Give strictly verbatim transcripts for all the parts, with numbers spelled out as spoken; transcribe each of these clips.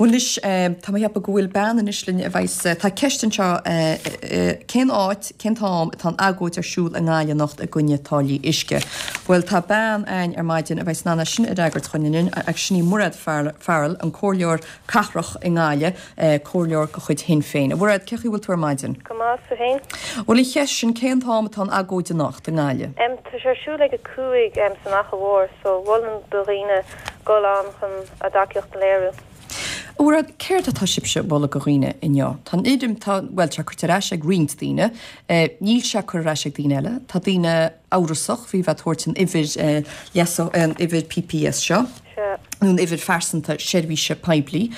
Bhuel anois tá mé ag ceapadh go bhfuil bean anois linn a bheas tá ceist anseo cén áit, cén t-am atá an agóid ar siúl i nGaillimh anocht i gcoinne táillí uisce. Bhuel tá bean againn ar maidin a bheas in ann é sin a fhreagairt chugainn agus sin í Mairéad Farrell, an comhairleoir cathrach i nGaillimh, comhairleoir de chuid Shinn Féin. A Mhairéad, cén chaoi a bhfuil tú ar maidin? Go maith, tú féin? Bhuel an cheist sin, cén t-am atá an agóid anocht i nGaillimh? Tá sé ar siúl ag a cúig san Fhaiche Mhór so mholfainn do dhaoine dul ann chun a dtacaíocht a léiriú. A Mhairéad, céard atá sibhse ag moladh do dhaoine inniu? Tá an fhoirm, tá, bhuel, tá sé curtha ar ais ag roinnt daoine, níl sé curtha ar ais ag daoine eile. Tá daoine amhrasach faoi bheith ag tabhairt an uimhir leasa, an uimhir PPS seo, nó an uimhir phearsanta seirbhíse poiblí.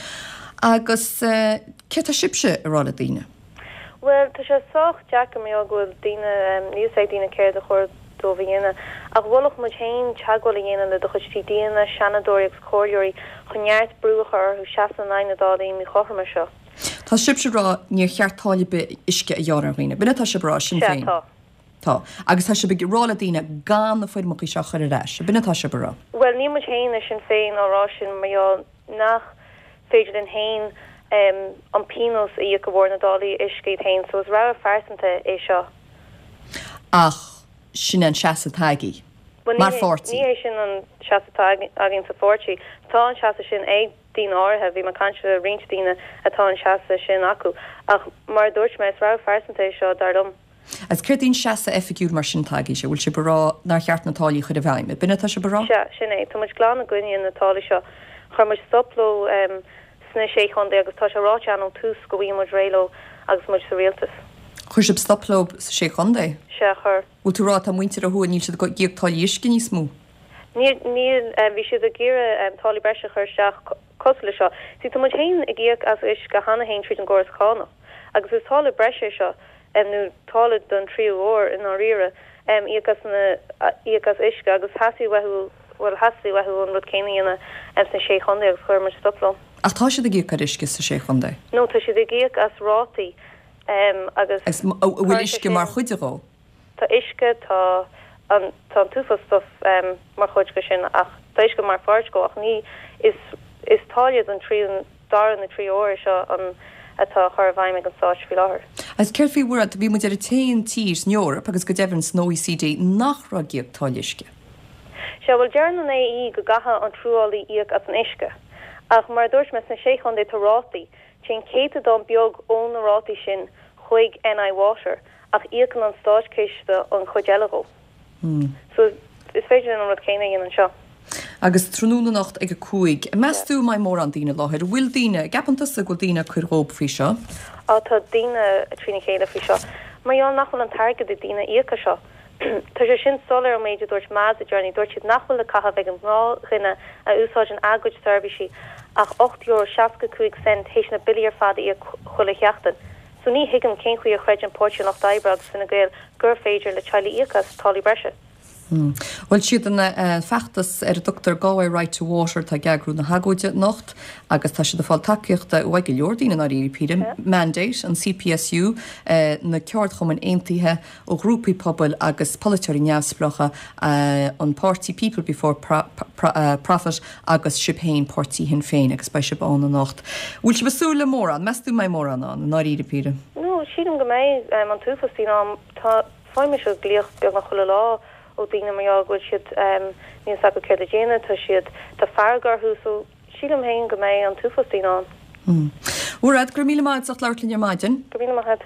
Agus céard tá sibhse ag rá le daoine? Bhuel, tá sé sách deacair mar gheall go bhfuil daoine, níl fhios ag daoine céard a chóir dóibh a dhéanamh. Ach mholfadh muid féin teagmháil a dhéanamh le do chuid TDanna, Seanadóirí agus Comhairleoirí chun neart brú a chur orthu seasamh in aghaidh na dtáillí míchothroma seo. Tá sibhse ag rá níor cheart táille ar bith uisce a ghearradh ar dhaoine. B'in atá sibh ag rá, Sinn Féin? Sea, tá. Tá. Agus tá sibh ag rá le daoine gan na foirmeacha seo a chur ar ais. B'in atá sibh ag rá? Bhuel, níl muid féin i Sinn Féin á rá sin mar gheall nach féidir linn féin an pionós a íoc de bharr na dtáillí uisce iad féin so is rogha phearsanta é seo. Ach sin an seasamh atá agaibh mar pháirtí. Ní hé sin an seasamh atá againn sa pháirtí. Tá an seasamh sin ag daoine áirithe, bhí mé ag caint le roinnt daoine atá an seasamh sin acu. Ach mar a dúirt mé, is rogha phearsanta é seo, dar liom. Agus céard é an seasamh oifigiúil mar sin atá agaibhse? Bhfuil sibh ag rá nár cheart na táillí a chur i bhfeidhm? B'in atá sibh ag rá? Sea, sin é. Tá muid glan i gcoinne na táillí seo. Chuir muid stop leo sna Sé Chontae agus tá sé ráite againn ón tús go bhfaighidh muid réidh leo agus muid sa rialtas. Chuir sibh stop leo sa Sé Chontae? Sea, chuir. Bhfuil tú ag rá tá muintir ó thuaidh níl siad ag íoc táillí uisce níos mó? Níl, níl. Bhí siad ag iarraidh táillí breise a chur isteach cosúil le seo. See, tá muid féin ag íoc as uisce cheana féin tríd an gcóras cánach agus is táille breise é seo. nó táille don tríú huair i ndáiríre, íoc as na, íoc as uisce agus theastaigh uathu, bhuel theastaigh uathu an rud céanna a dhéanamh sna Sé Chontae agus chuir muid stop leo. Ach tá siad ag íoc ar uisce sa Sé Chontae? No, tá siad ag íoc as rátaí agus. Agus an bhfuil uisce mar chuid dhó? Tá uisce, tá an, tá an t-uafás stuff mar chuid de sin ach tá uisce mar pháirt dhó ach ní, is, is táille don tríú, dara nó tríú huair é seo an atá á chur i bhfeidhm ag an Stát faoi láthair. Agus céard faoi bhur, bhí muid ar an t-aon tír san Eoraip agus go deimhin san OECD nach raibh ag íoc táille uisce. Sea, bhuel deireann an AE go gcaithfidh an truailleálaí íoc as an uisce. Ach mar a dúirt mé, sna Sé Chontae tá rátaí. Téann céatadán beag ó na rátaí sin chuig NI Water ach íocann an Státchiste an chuid eile dhó. So is féidir linn an rud céanna a dhéanamh anseo. Agus tráthnóna anocht ag a cúig, meas tú an mbeidh mórán daoine i láthair? An bhfuil daoine, gceapann tusa go bhfuil daoine ag cur dhób faoi seo? Á tá daoine trína chéile faoi seo. Mar gheall nach bhfuil an t-airgead ag daoine íoc as seo. Tá sé sin soiléir ón méid a dúirt MAS le déanaí. Dúirt siad nach bhfuil le caitheamh ag an ngnáthdhuine a úsáideann a gcuid seirbhísí ach ocht euro seasca cúig cent théis na billí ar fad a íoc chuile sheachtain. So ní thuigim cén chaoi a chreideann Páirtí an Lucht Oibre agus Fine Gael gur féidir le teaghlaigh íoc as táillí breise. Bhuel, siad an feachtas ar a dtugtar Galway Right to Water atá ag eagrú na hagóide anocht agus tá siad ag fáil tacaíochta uaidh go leor daoine i ndáiríre píre, Mandate, an CPSU, na ceardchumainn aontaithe, ó ghrúpaí pobail agus polaiteoirí neamhspleácha, an páirtí People Before Profit agus sibh féin, Páirtí Shinn Féin agus beidh sibh ann anocht. Bhfuil sibh ag súil le mórán? Meas tú an mbeidh mórán ann, i ndáiríre píre? No, sílim go mbeidh an t-uafás daoine ann. Tá, faighim mise glaoch beagnach chuile lá ó daoine mar gheall go bhfuil siad, níl fhios acu céard le déanamh, tá siad, tá fearg orthu so sílim féin go mbeidh an t-uafás daoine ann. Mairéad, go raibh míle maith agat as labhairt linn ar maidin. Go raibh míle maith agat.